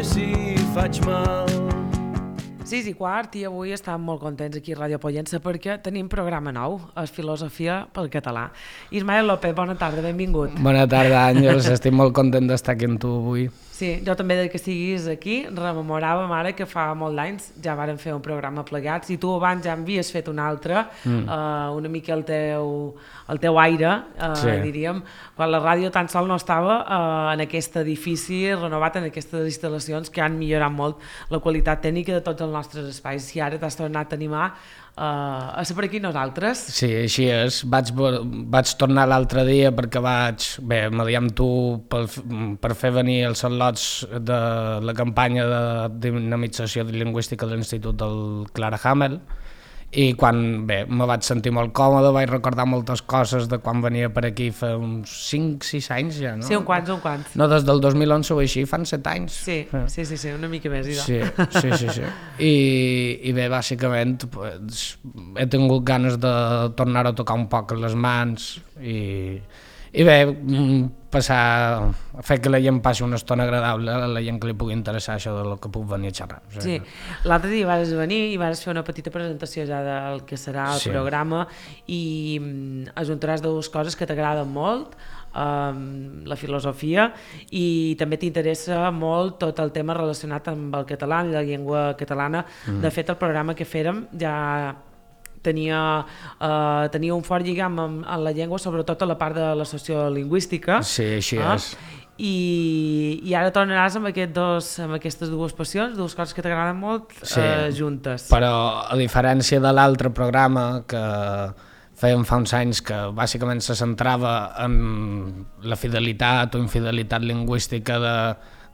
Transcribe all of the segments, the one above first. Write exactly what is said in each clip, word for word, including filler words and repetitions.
si faig mal. sis i quart i avui estem molt contents aquí a Ràdio Pollença perquè tenim programa nou, és Filosofia pel Català. Ismael López, bona tarda, benvingut. Bona tarda, Àngels, estic molt content d'estar aquí amb tu avui. Sí, jo també de que siguis aquí, rememoràvem ara que fa molt d'anys ja vàrem fer un programa plegats i tu abans ja havies fet un altre, mm. uh, una mica el teu, el teu aire, uh, sí. diríem, quan la ràdio tan sol no estava uh, en aquest edifici renovat, en aquestes instal·lacions que han millorat molt la qualitat tècnica de tots els nostres espais. I ara t'has tornat a animar uh, a ser per aquí nosaltres. Sí, així és. Vaig, vaig tornar l'altre dia perquè vaig, bé, m'adiar amb tu per, per fer venir els slots de la campanya de dinamització lingüística de l'Institut del Clara Hamel, i quan, bé, me vaig sentir molt còmode, vaig recordar moltes coses de quan venia per aquí fa uns cinc sis anys ja, no? Sí, un quants, un quants. No, des del dos mil onze o així, fan set anys. Sí, sí, sí, sí, una mica més. Sí, sí, sí, sí. I, i bé, bàsicament, pues, he tingut ganes de tornar a tocar un poc les mans i, i bé, passar, fer que la gent passi una estona agradable, a la gent que li pugui interessar això del que puc venir a xerrar. O sigui, sí, l'altre dia vas venir i vas fer una petita presentació ja del que serà el sí. programa i ajuntaràs dues coses que t'agraden molt, um, la filosofia, i també t'interessa molt tot el tema relacionat amb el català, amb la llengua catalana. Mm. De fet, el programa que fèrem ja tenia, uh, tenia un fort lligam amb, amb la llengua, sobretot a la part de la sociolingüística. Sí, així eh? és. I, i ara tornaràs amb, aquest dos, amb aquestes dues passions, dues coses que t'agraden molt, sí. uh, juntes. Però a diferència de l'altre programa que fèiem fa uns anys, que bàsicament se centrava en la fidelitat o infidelitat lingüística de,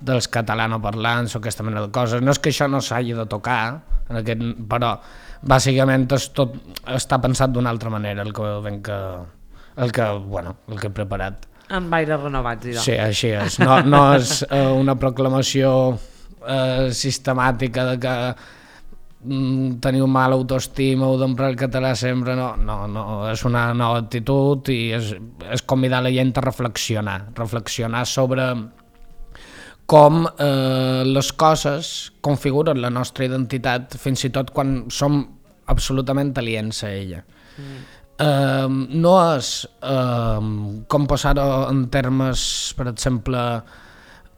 dels catalanoparlants o aquesta mena de coses, no és que això no s'hagi de tocar, en aquest, però bàsicament és tot, està pensat d'una altra manera el que, que, el que, bueno, el que he preparat. Amb aires renovats, idò. Sí, així és. No, no és eh, una proclamació eh, sistemàtica de que mm, teniu mala autoestima o d'emprar el català sempre, no, no, no, és una nova actitud i és, és convidar la gent a reflexionar, reflexionar sobre com eh, les coses configuren la nostra identitat, fins i tot quan som absolutament aliens a ella. Mm. Eh, no és eh, com posar-ho en termes, per exemple,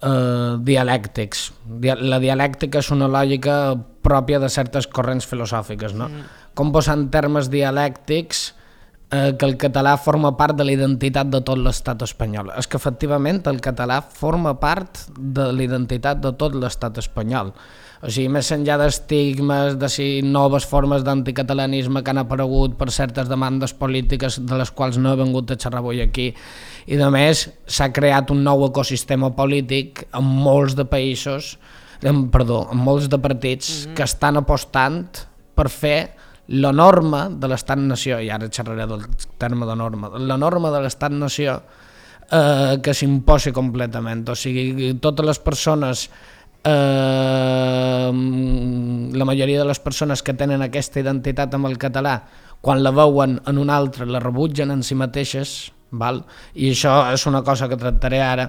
eh, dialèctics. La dialèctica és una lògica pròpia de certes corrents filosòfiques, no? Mm. Com posar en termes dialèctics Eh, que el català forma part de la identitat de tot l'estat espanyol. És que efectivament el català forma part de la identitat de tot l'estat espanyol. O sigui, més enllà d'estigmes, de si noves formes d'anticatalanisme que han aparegut per certes demandes polítiques de les quals no he vingut a xerrar avui aquí, i de més s'ha creat un nou ecosistema polític en molts de països, en, perdó, en molts de partits mm-hmm. que estan apostant per fer la norma de l'estat-nació, i ara xerraré del terme de norma, la norma de l'estat-nació eh, que s'imposi completament. O sigui, totes les persones, eh, la majoria de les persones que tenen aquesta identitat amb el català, quan la veuen en un altre, la rebutgen en si mateixes, val? I això és una cosa que tractaré ara,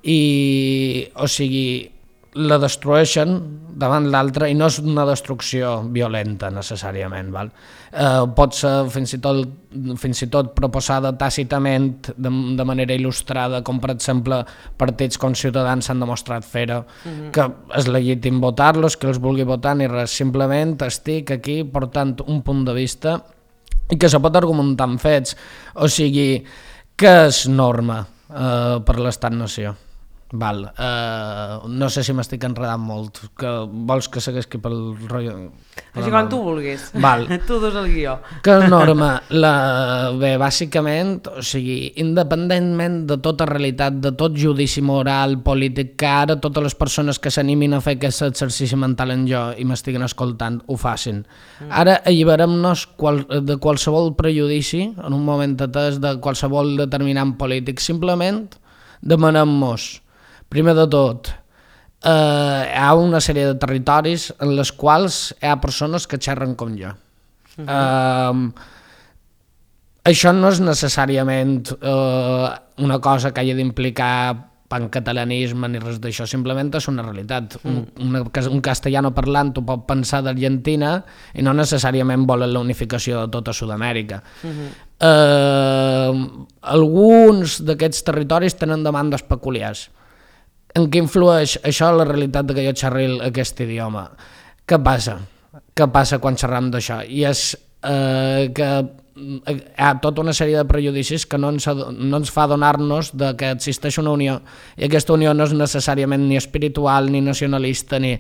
i, o sigui, la destrueixen davant l'altre, i no és una destrucció violenta necessàriament, val? Eh, pot ser fins i tot, fins i tot proposada tàcitament de, de manera il·lustrada, com per exemple partits com Ciutadans s'han demostrat fer-ho, mm-hmm. que és legítim votar-los, que els vulgui votar ni res, simplement estic aquí portant un punt de vista i que se pot argumentar amb fets. O sigui, què és norma eh, per l'estat-nació? Val. Uh, no sé si m'estic enredant molt, que vols que segueixi pel rotllo? Així com tu vulguis. Val. Tu dus el guió. Que norma? La... Bé, bàsicament, o sigui, independentment de tota realitat, de tot judici moral, polític, que ara totes les persones que s'animin a fer aquest exercici mental en jo i m'estiguen escoltant ho facin. Mm. Ara alliberem-nos qual... de qualsevol prejudici, en un moment atès, de qualsevol determinant polític. Simplement demanem-nos, primer de tot, eh, hi ha una sèrie de territoris en les quals hi ha persones que xerren com jo. Uh-huh. Eh, això no és necessàriament eh, una cosa que hagi d'implicar pancatalanisme ni res d'això, simplement és una realitat. Un, una, un castellano parlant ho pot pensar d'Argentina i no necessàriament volen la unificació de tota Sud-amèrica. Uh-huh. eh, alguns d'aquests territoris tenen demandes peculiars. En què influeix això la realitat de que jo xerri aquest idioma? Què passa? Què passa quan xerram d'això? I és eh, que hi ha tota una sèrie de prejudicis que no ens, no ens fa adonar-nos de que existeix una unió, i aquesta unió no és necessàriament ni espiritual ni nacionalista, ni,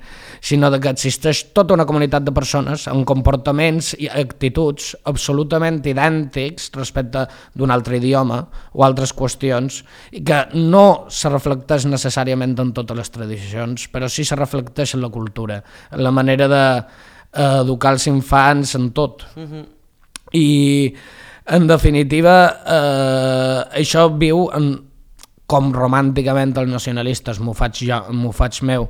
sinó de que existeix tota una comunitat de persones amb comportaments i actituds absolutament idèntics respecte d'un altre idioma o altres qüestions, i que no se reflecteix necessàriament en totes les tradicions, però sí se reflecteix en la cultura, en la manera d'educar els infants, en tot. Uh-huh. I en definitiva eh, això viu en, com romànticament els nacionalistes m'ho faig jo, m'ho faig meu,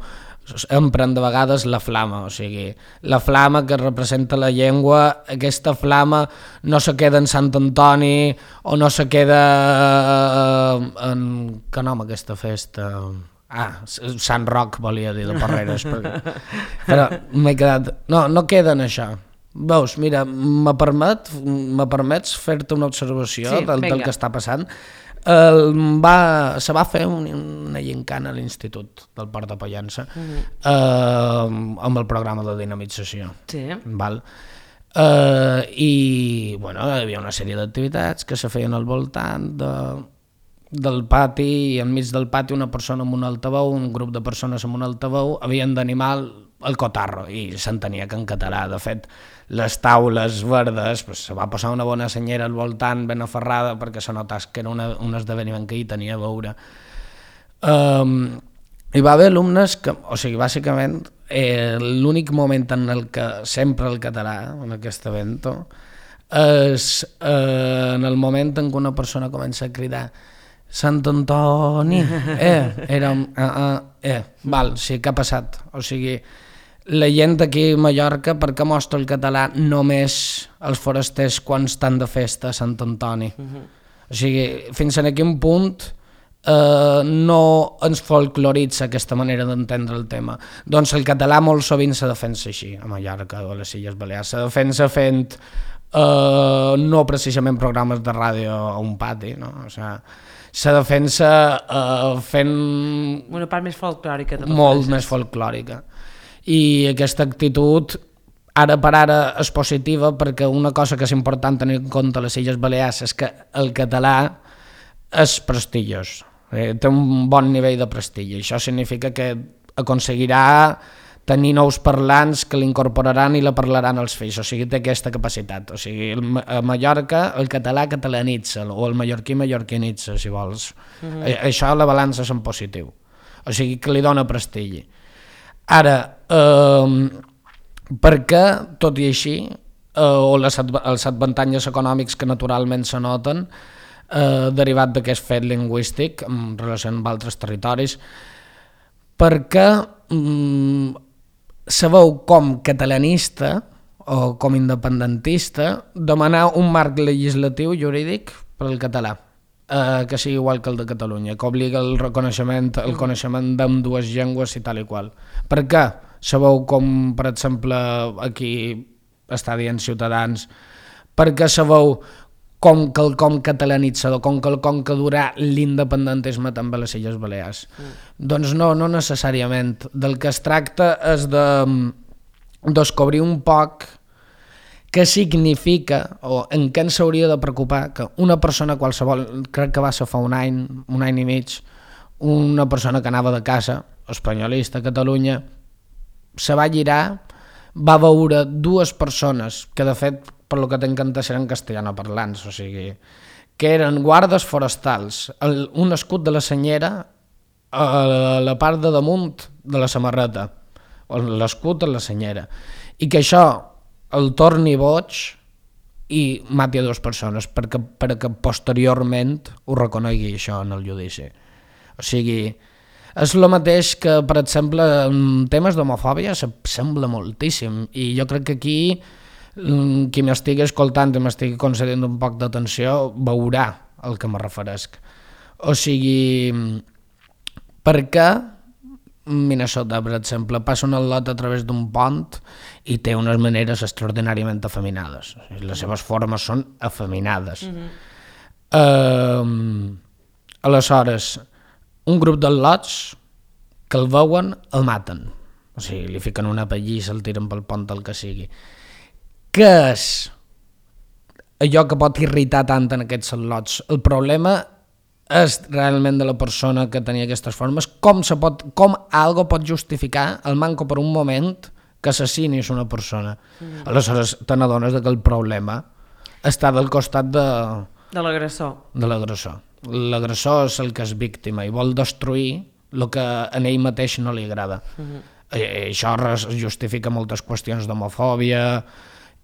empren de vegades la flama, o sigui, la flama que representa la llengua, aquesta flama no se queda en Sant Antoni o no se queda eh, en... que nom aquesta festa... Ah, Sant Roc volia dir de Porreres, perquè... però m'he quedat... No, no queda en això. Veus, mira, me permet, me permets fer-te una observació sí, del, del que està passant. El, va, se va fer un, una gincana a l'Institut del Port de Pollença uh-huh. eh, amb el programa de dinamització. Sí. Val? Eh, I bueno, hi havia una sèrie d'activitats que se feien al voltant de, del pati, i enmig del pati una persona amb un altaveu, un grup de persones amb un altaveu havien d'animar el cotarro, i s'entenia que en català. De fet, les taules verdes, pues, se va posar una bona senyera al voltant ben aferrada perquè se notàs que era una, un esdeveniment que hi tenia a veure. Um, hi va haver alumnes que, o sigui, bàsicament, eh, l'únic moment en el que sempre el català, en aquest evento, és eh, en el moment en què una persona comença a cridar Sant Antoni, eh, era un, uh, uh, eh, val, sí, què ha passat? O sigui, la gent aquí a Mallorca, per què mostra el català només els forasters quan estan de festa a Sant Antoni? Uh-huh. O sigui, fins a quin punt eh, no ens folcloritza aquesta manera d'entendre el tema? Doncs el català molt sovint se defensa així, a Mallorca o a les Illes Balears. Se defensa fent eh, no precisament programes de ràdio a un pati, no? O sigui, se defensa eh, fent... Una part més folclòrica. Molt més folclòrica. I aquesta actitud ara per ara és positiva, perquè una cosa que és important tenir en compte a les Illes Balears és que el català és prestigiós, eh, té un bon nivell de prestigi. Això significa que aconseguirà tenir nous parlants que l'incorporaran i la parlaran els fills, o sigui, té aquesta capacitat. O sigui, a Mallorca el català catalanitza, o el mallorquí mallorquinitza, si vols. Uh-huh. Això la balança és en positiu, o sigui, que li dona prestigi. Ara, eh, perquè, tot i així, eh, o les, els avantatges econòmics que naturalment se noten, eh, derivat d'aquest fet lingüístic en relació amb altres territoris, perquè mm, se veu com catalanista o com independentista demanar un marc legislatiu jurídic per al català, eh, que sigui igual que el de Catalunya, que obliga el reconeixement, el coneixement d'ambdues llengües i tal i qual. Per què? Se veu com, per exemple, aquí està dient Ciutadans, perquè se veu com quelcom catalanitzador, com quelcom que durà l'independentisme també a les Illes Balears. Mm. Doncs no, no necessàriament. Del que es tracta és de descobrir un poc què significa o en què ens hauria de preocupar que una persona qualsevol, crec que va ser fa un any, un any i mig, una persona que anava de casa, espanyolista a Catalunya, se va girar, va veure dues persones que de fet per lo que tinc entès eren castellanoparlants, o sigui, que eren guardes forestals, el, un escut de la senyera a la part de damunt de la samarreta, l'escut a la senyera, i que això el torni boig i mati a dues persones perquè, perquè posteriorment ho reconegui això en el judici. O sigui, és el mateix que, per exemple, en temes d'homofòbia sembla moltíssim, i jo crec que aquí qui m'estigui escoltant i m'estigui concedint un poc d'atenció veurà el que me referesc. O sigui, perquè Minnesota, per exemple, passa un al·lot a través d'un pont i té unes maneres extraordinàriament afeminades. Les seves formes són afeminades. Mm-hmm. Uh, aleshores, un grup d'al·lots que el veuen, el maten. O sigui, li fiquen una pallissa, el tiren pel pont, el que sigui. Què és allò que pot irritar tant en aquests al·lots? El problema és realment de la persona que tenia aquestes formes, com, se pot, com algo pot justificar el manco per un moment que assassinis una persona. Mm. Aleshores te n'adones que el problema està del costat de, de l'agressor. De l'agressor. L'agressor és el que és víctima i vol destruir el que a ell mateix no li agrada. Mm. I, i això justifica moltes qüestions d'homofòbia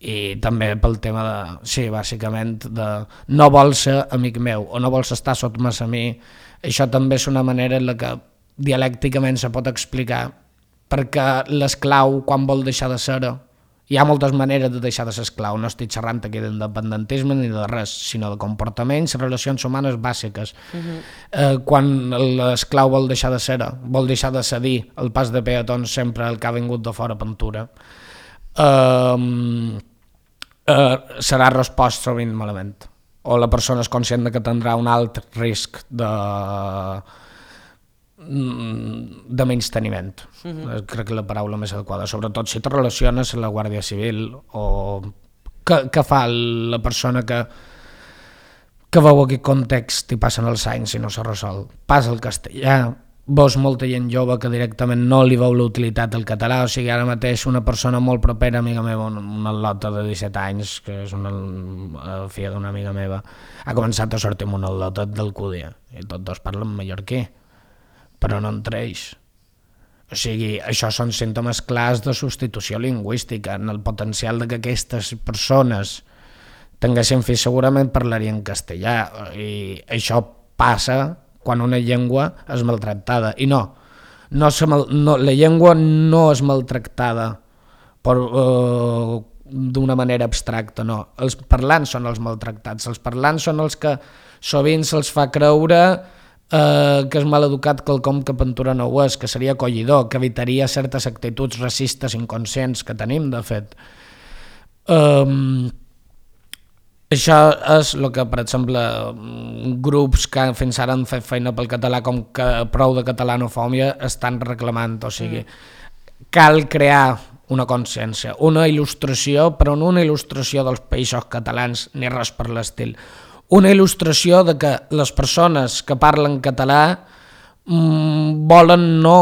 i també pel tema de, sí, bàsicament, de no vols ser amic meu o no vols estar sotmès a mi. Això també és una manera en la que dialècticament se pot explicar, perquè l'esclau, quan vol deixar de ser, hi ha moltes maneres de deixar de ser esclau, no estic xerrant aquí d'independentisme ni de res, sinó de comportaments, relacions humanes bàsiques. Uh-huh. Eh, quan l'esclau vol deixar de ser, vol deixar de cedir el pas de peatons sempre el que ha vingut de fora pintura, Uh, uh, serà respost sovint malament, o la persona és conscient de que tindrà un alt risc de de menysteniment. Mm-hmm. Crec que la paraula més adequada, sobretot si te relaciones amb la Guàrdia Civil o què, què fa la persona que que veu aquest context i passen els anys i no s'ha resolt. Passa el castellà, veus molta gent jove que directament no li veu l'utilitat del català, o sigui, ara mateix una persona molt propera, amiga meva, una al·lota de disset anys, que és una filla d'una amiga meva, ha començat a sortir amb una al·lota d'Alcúdia, i tots dos parlen mallorquí, però no entre ells. O sigui, això són símptomes clars de substitució lingüística, en el potencial de que aquestes persones tinguessin fills segurament parlarien castellà, i això passa quan una llengua és maltractada. I no, no, mal, no la llengua no és maltractada per, uh, d'una manera abstracta, no. Els parlants són els maltractats, els parlants són els que sovint se'ls fa creure uh, que és mal educat quelcom que pintura no ho és, que seria acollidor, que evitaria certes actituds racistes inconscients que tenim, de fet. Um, Això és el que, per exemple, grups que fins ara han fet feina pel català com que prou de catalanofòbia estan reclamant, o sigui, mm. cal crear una consciència, una il·lustració, però no una il·lustració dels països catalans ni res per l'estil, una il·lustració de que les persones que parlen català mmm, volen no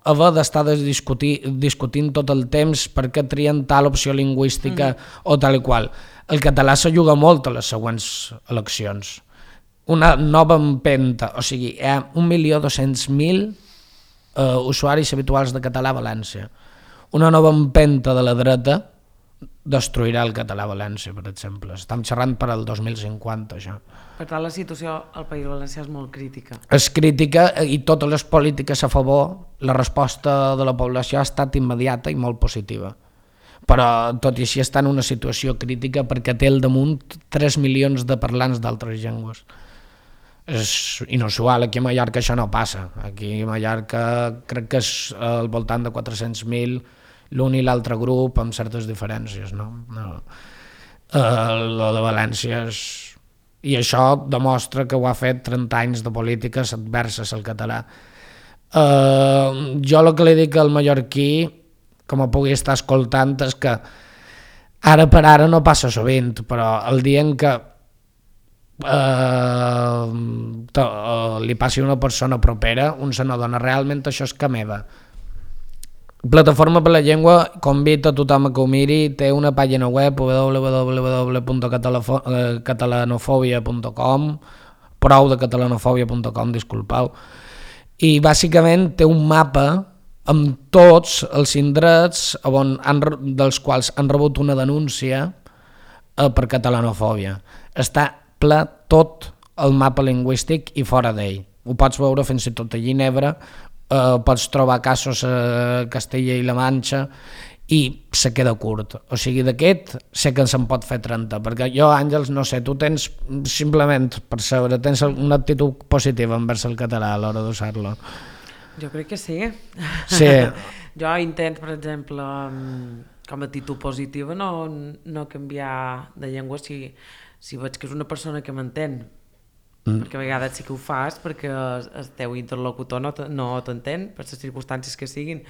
haver d'estar discutint, discutint tot el temps perquè trien tal opció lingüística mm. o tal i qual. El català se juga molt a les següents eleccions. Una nova empenta, o sigui, hi ha un milió dos-cents mil uh, usuaris habituals de català a València. Una nova empenta de la dreta destruirà el català a València, per exemple. Estem xerrant per al dos mil cinquanta, això. Per tant, la situació al País Valencià és molt crítica. És crítica i totes les polítiques a favor, la resposta de la població ha estat immediata i molt positiva. Però tot i així està en una situació crítica perquè té al damunt tres milions de parlants d'altres llengües. És inusual, aquí a Mallorca això no passa. Aquí a Mallorca crec que és al voltant de quatre-cents mil l'un i l'altre grup amb certes diferències, no? no. Uh, la de València és... I això demostra que ho ha fet trenta anys de polítiques adverses al català. Uh, jo el que li dic al mallorquí, com ho pugui estar escoltant, és que ara per ara no passa sovint, però el dia en què eh, to, uh, li passi a una persona propera, un se n'adona realment això és que meva. Plataforma per la Llengua convida a tothom a que ho miri, té una pàgina web w w w punt catalanofòbia punt com, prou de catalanofòbia punt com, disculpeu, i bàsicament té un mapa amb tots els indrets on han, dels quals han rebut una denúncia eh, per catalanofòbia. Està ple tot el mapa lingüístic i fora d'ell. Ho pots veure fins i tot a Ginebra, eh, pots trobar casos a Castella i la Manxa i se queda curt. O sigui, d'aquest sé que se'n pot fer trenta, perquè jo, Àngels, no sé, tu tens simplement, per saber, tens una actitud positiva envers el català a l'hora d'usar-lo. Jo crec que sí. Sí. Jo intento, per exemple, com a actitud positiva, no, no canviar de llengua si, si veig que és una persona que m'entén. Mm. Perquè a vegades sí que ho fas perquè el teu interlocutor no, no t'entén per les circumstàncies que siguin,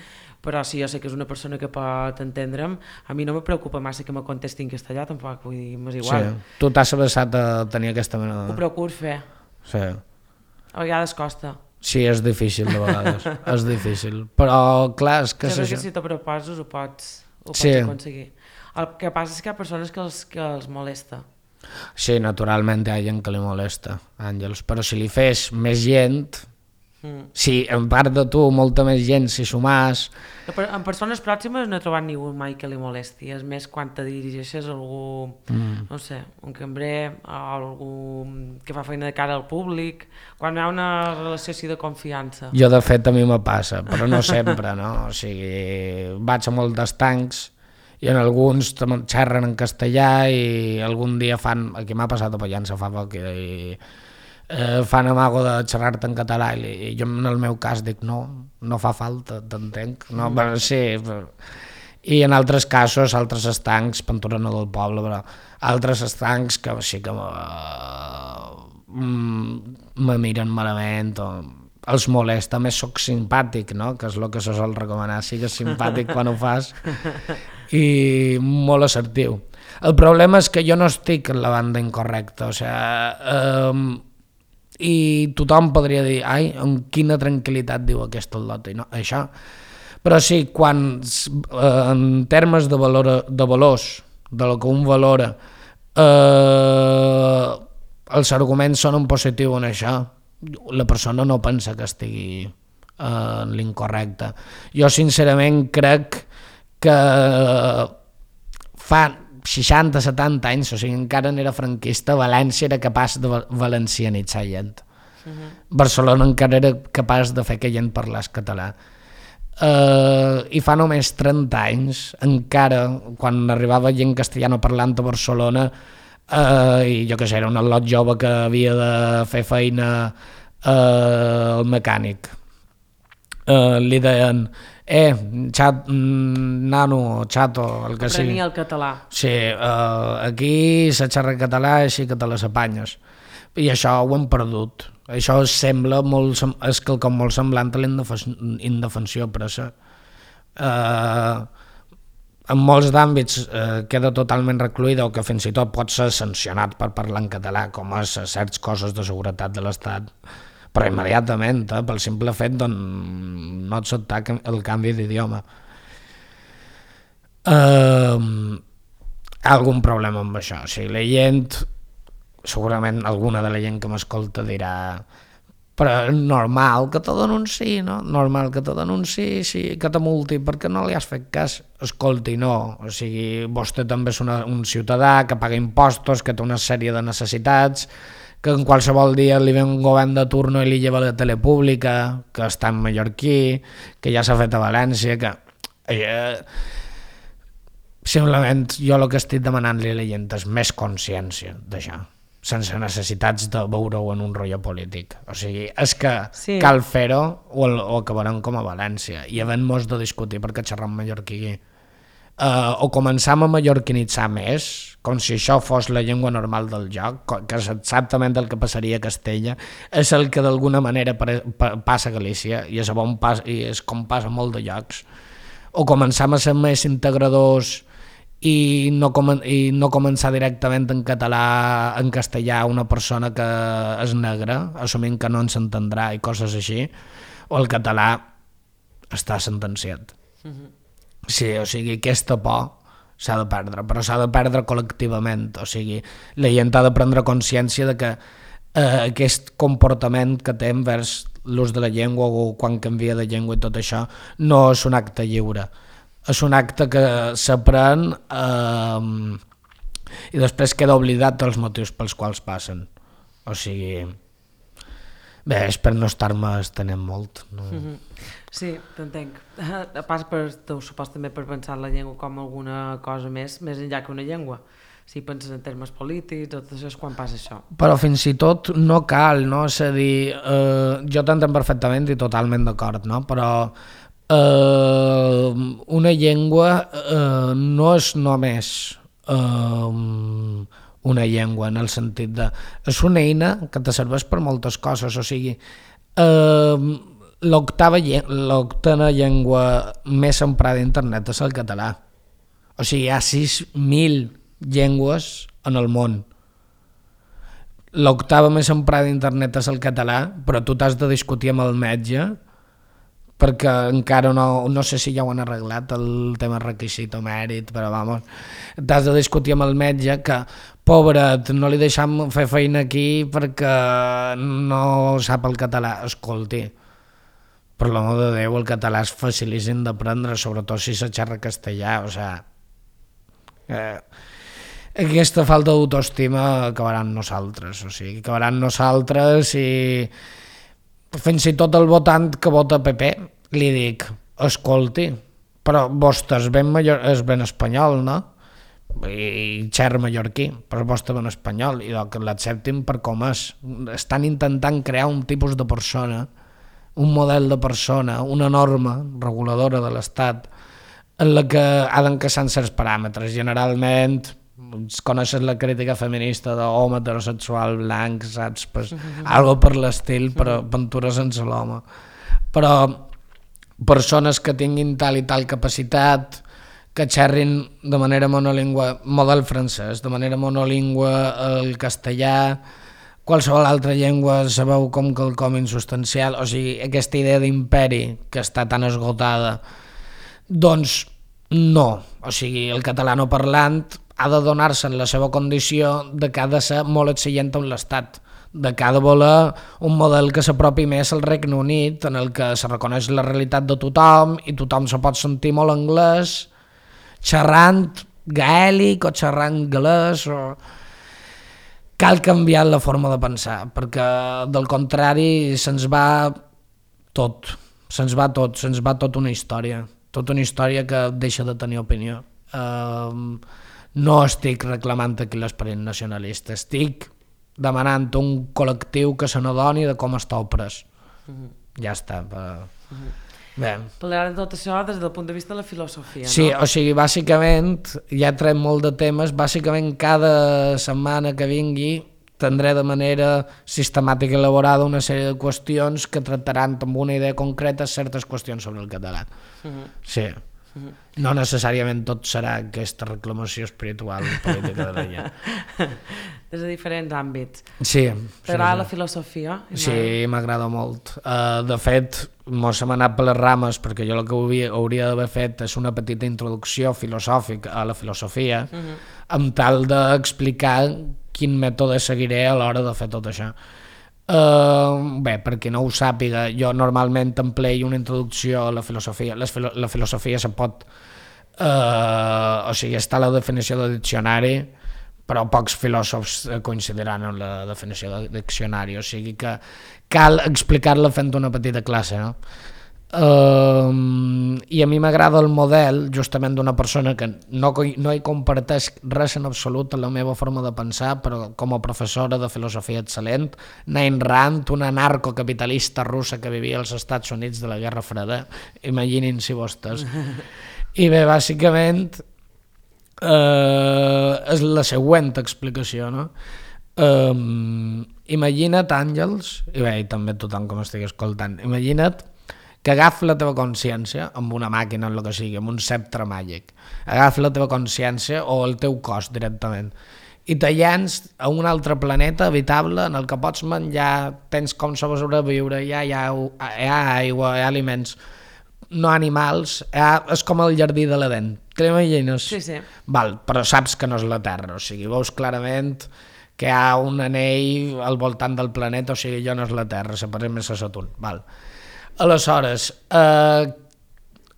però si jo sé que és una persona que pot entendre'm, a mi no me preocupa massa que me contesti en castellà, tampoc, vull dir, m'és igual. Sí. Tu t'has abraçat a tenir aquesta mena de... Ho procuro fer. Sí. A vegades costa. Sí, és difícil de vegades, és difícil, però clar, és que... Jo crec això... que si t'ho proposes ho pots, ho pots sí. aconseguir. El que passa és que hi ha persones que els, que els molesta. Sí, naturalment hi ha gent que li molesta, Àngels, però si li fes més gent, mm. si en part de tu molta més gent s'hi sumàs... En persones pròximes no he trobat ningú mai que li molesti, és més quan te dirigeixes a algú, mm. no sé, un cambrer, o algú que fa feina de cara al públic, quan hi ha una relació així de confiança. Jo de fet a mi me passa, però no sempre, no? O sigui, vaig a molts tancs i en alguns xerren en castellà i algun dia fan, aquí m'ha passat a Pollença fa poc, i eh, fan amago de xerrar-te en català i, i jo en el meu cas dic no, no fa falta, t'entenc, no, mm. però sí, però... i en altres casos, altres estancs, Pantura no del poble, però altres estancs que sí que me miren malament o els molesta, més soc simpàtic, no? Que és el que se sol recomanar, sigues simpàtic quan ho fas i molt assertiu. El problema és que jo no estic en la banda incorrecta, o sigui, eh, i tothom podria dir, ai, amb quina tranquil·litat diu aquest al·lot, i no, això. Però sí, quan eh, en termes de, valor, de valors, de lo que un valora, eh, els arguments són en positiu en això, la persona no pensa que estigui eh, en l'incorrecte. Jo sincerament crec que fa seixanta setanta anys, o sigui, encara n'era franquista, València era capaç de valencianitzar gent. Uh-huh. Barcelona encara era capaç de fer que gent parlés català. Uh, I fa només trenta anys, encara, quan arribava gent castellano parlant a Barcelona, uh, i jo què sé, era un al·lot jove que havia de fer feina uh, al mecànic. Uh, li deien, eh, xat, nano, xato, el que sigui. Aprenia el català. Sí, uh, aquí se xerra català així que te les apanyes. I això ho hem perdut. Això sembla molt, és quelcom molt semblant a la indefensió presa. Uh, en molts d'àmbits uh, queda totalment recluïda o que fins i tot pot ser sancionat per parlar en català, com a certs coses de seguretat de l'Estat. Però immediatament, eh, pel simple fet de no acceptar el canvi d'idioma. Uh, hi ha algun problema amb això. O sigui, la gent, segurament alguna de la gent que m'escolta dirà però és normal que te denunciï, no? Normal que te denunciï, sí, que te multi, perquè no li has fet cas. Escolti, no. O sigui, vostè també és una, un ciutadà que paga impostos, que té una sèrie de necessitats, que en qualsevol dia li ve un govern de turno i li lleva la tele pública, que està en mallorquí, que ja s'ha fet a València, que... Eh, simplement jo el que estic demanant-li a la gent és més consciència d'això, sense necessitats de veure-ho en un rotllo polític. O sigui, és que sí. Cal fer-ho o, o acabarem com a València i havent-nos de discutir perquè xerram mallorquí. Uh, o començam a mallorquinitzar més, com si això fos la llengua normal del joc, que és exactament el que passaria a Castella, és el que d'alguna manera passa a Galícia i és, bon pas, i és com passa a molt de llocs. O començam a ser més integradors i no, com, i no començar directament en català, en castellà, una persona que és negra, assumint que no ens entendrà i coses així, o el català està sentenciat. Mm-hmm. Sí, o sigui, aquesta por s'ha de perdre, però s'ha de perdre col·lectivament, o sigui, la gent ha de prendre consciència de que eh, aquest comportament que té envers l'ús de la llengua o quan canvia de llengua i tot això no és un acte lliure, és un acte que s'aprèn eh, i després queda oblidat dels motius pels quals passen, o sigui... Bé, és per no estar-me estenent molt. No? Mm-hmm. Sí, t'entenc. A part, per, t'ho supos també per pensar en la llengua com alguna cosa més, més enllà que una llengua. si penses en termes polítics, tot això és quan passa això. Però fins i tot no cal, no? És a dir, eh, jo t'entenc perfectament i totalment d'acord, no? Però eh, una llengua eh, no és només eh, una llengua en el sentit de... És una eina que te serveix per moltes coses, o sigui, eh, l'octava l'octava llengua més emprada a internet és el català. O sigui, hi ha sis mil llengües en el món. L'octava més emprada a internet és el català, però tu t'has de discutir amb el metge perquè encara no, no sé si ja ho han arreglat el tema requisit o mèrit, però vamos, t'has de discutir amb el metge que, pobret, no li deixam fer feina aquí perquè no sap el català. Escolti, per l'amor de Déu, el català és facilíssim d'aprendre, sobretot si se xerra castellà, o sigui, eh, aquesta falta d'autoestima acabarà amb nosaltres, o sigui, acabarà amb nosaltres i fins i tot el votant que vota P P li dic, escolti, però vostè és ben, major, és ben espanyol, no? I xerra mallorquí, però vostè ben espanyol, i que l'acceptin per com és. Estan intentant crear un tipus de persona, un model de persona, una norma reguladora de l'Estat en la que ha d'encaixar certs paràmetres. Generalment, coneixes la crítica feminista d'home heterosexual blanc, saps? Pues, mm-hmm. Algo per l'estil, però aventura sense l'home. Però persones que tinguin tal i tal capacitat, que xerrin de manera monolingüe, model francès, de manera monolingüe el castellà, qualsevol altra llengua sabeu com quelcom insustancial, o sigui, aquesta idea d'imperi que està tan esgotada, doncs no, o sigui, el català no parlant ha de donar-se en la seva condició de que ha de ser molt exigent amb l'Estat, de que ha de voler un model que s'apropi més al Regne Unit, en el que se reconeix la realitat de tothom i tothom se pot sentir molt anglès, xerrant gaèlic o xerrant galès, o... Cal canviar la forma de pensar, perquè del contrari se'ns va tot, se'ns va tot, se'ns va tota una història, tota una història que deixa de tenir opinió. Uh, no estic reclamant aquí l'esperit nacionalista, estic demanant un col·lectiu que se n'adoni de com està oprès. Uh-huh. Ja està. Uh, uh-huh. Bé. Parlar de tot això des del punt de vista de la filosofia, sí, no? O sigui, bàsicament, ja trem molt de temes, bàsicament cada setmana que vingui tindré de manera sistemàtica i elaborada una sèrie de qüestions que tractaran amb una idea concreta certes qüestions sobre el català. Uh-huh. Sí. Uh-huh. No necessàriament tot serà aquesta reclamació espiritual i política de la gent. Des de diferents àmbits. Sí. T'agrada sí, la filosofia? Sí, m'agrada molt. Uh, de fet, mos hem anat per les rames perquè jo el que hauria, hauria d'haver fet és una petita introducció filosòfica a la filosofia, uh-huh. amb tal d'explicar quin mètode seguiré a l'hora de fer tot això. Uh, bé, per qui no ho sàpiga, jo normalment empleio una introducció a la filosofia. Les filo- la filosofia se pot... Uh, o sigui, està la definició de diccionari, però pocs filòsofs coincidiran en la definició de diccionari, o sigui que cal explicar-la fent una petita classe, no? Uh, i a mi m'agrada el model justament d'una persona que no, no hi comparteix res en absolut en la meva forma de pensar, però com a professora de filosofia excel·lent, Ayn Rand, una narcocapitalista russa que vivia als Estats Units de la Guerra Freda, imaginin-s'hi vostès. I bé, bàsicament uh, és la següent explicació, no? Uh, imagina't, Àngels, i bé, i també tothom que m'estigui escoltant, imagina't que agafi la teva consciència amb una màquina, en el que sigui, amb un sceptre màgic, agafi la teva consciència o el teu cos directament i te llenç a un altre planeta habitable en el que pots menjar, tens com sobreviure, hi ha, hi ha, hi ha aigua, hi ha aliments, no animals, hi ha, és com el jardí de l'Eden, te l'imagines? Sí, sí. Val, però saps que no és la Terra, o sigui, veus clarament que hi ha un anell al voltant del planeta, o sigui, allò no és la Terra, separem més a Saturn, val. Aleshores, eh,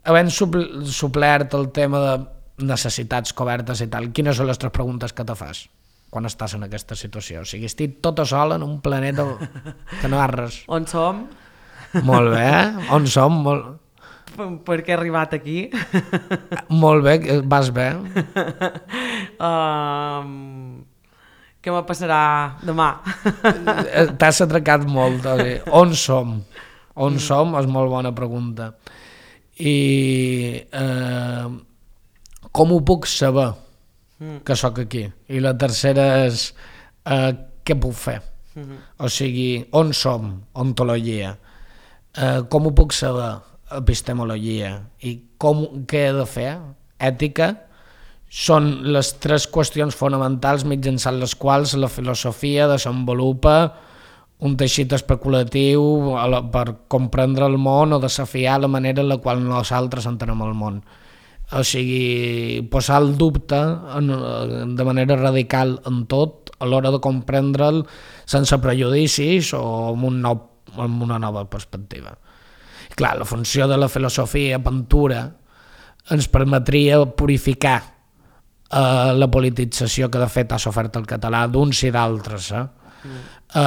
havent supl- suplert el tema de necessitats cobertes i tal, quines són les tres preguntes que te fas quan estàs en aquesta situació? O sigui, estic tota sola en un planeta que no ha res. On som? Molt bé, on som? Molt... per què he arribat aquí. Molt bé, vas bé. um, què me passarà demà? T'has atracat molt. Oi? On som? On som? És molt bona pregunta. I eh, com ho puc saber que sóc aquí? I la tercera és eh, què puc fer? O sigui, on som? Ontologia. Eh, com ho puc saber? Epistemologia. I com, què he de fer? Ètica. Són les tres qüestions fonamentals mitjançant les quals la filosofia desenvolupa un teixit especulatiu per comprendre el món o desafiar la manera en la qual nosaltres entenem el món. O sigui, posar el dubte en, de manera radical en tot a l'hora de comprendre'l sense prejudicis o amb, un nou, amb una nova perspectiva. I clar, la funció de la filosofia pintura ens permetria purificar eh, la politització que de fet ha sofert el català d'uns i d'altres eh, mm. eh,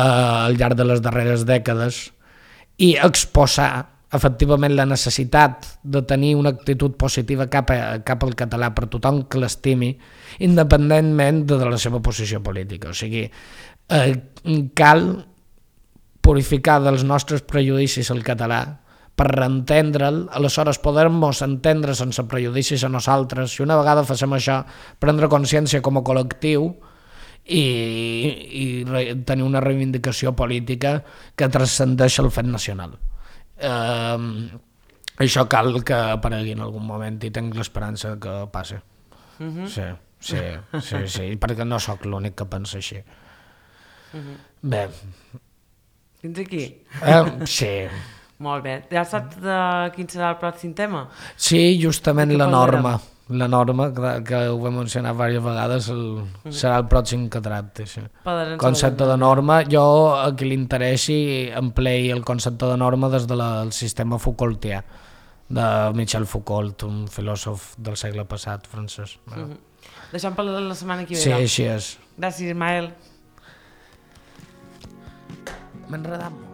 al llarg de les darreres dècades i exposar efectivament la necessitat de tenir una actitud positiva cap, a, cap al català per tothom que l'estimi, independentment de, de la seva posició política. O sigui, eh, cal purificar dels nostres prejudicis el català per reentendre'l, aleshores poder-nos entendre sense prejudicis a nosaltres, i una vegada facem això, prendre consciència com a col·lectiu i, i re, tenir una reivindicació política que transcendeix el fet nacional. Uh, això cal que aparegui en algun moment i tinc l'esperança que passi. Uh-huh. sí, sí, sí, sí, perquè no sóc l'únic que pensa així. Uh-huh. Bé. Fins aquí? Uh, sí. Molt bé. Ja saps de quin serà el pròxim tema? Sí, justament la norma. La norma, que, que ho vam mencionar diverses vegades, el, mm. serà el pròxim que tracti. Sí. Concepte de norma, jo a qui li interessi emplei el concepte de norma des del de sistema Foucaultià, de Michel Foucault, un filòsof del segle passat francès. Mm-hmm. Deixem per la setmana que ve. Sí, així és. Gràcies, Ismael. M'he enredat molt.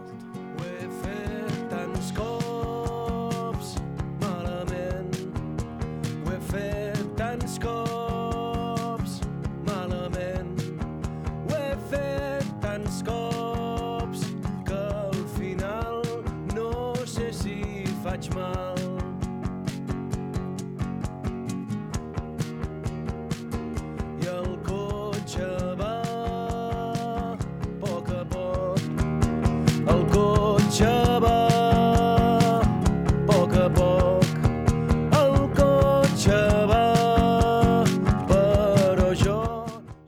Cops malament ho he fet tants cops que al final no sé si faig mal.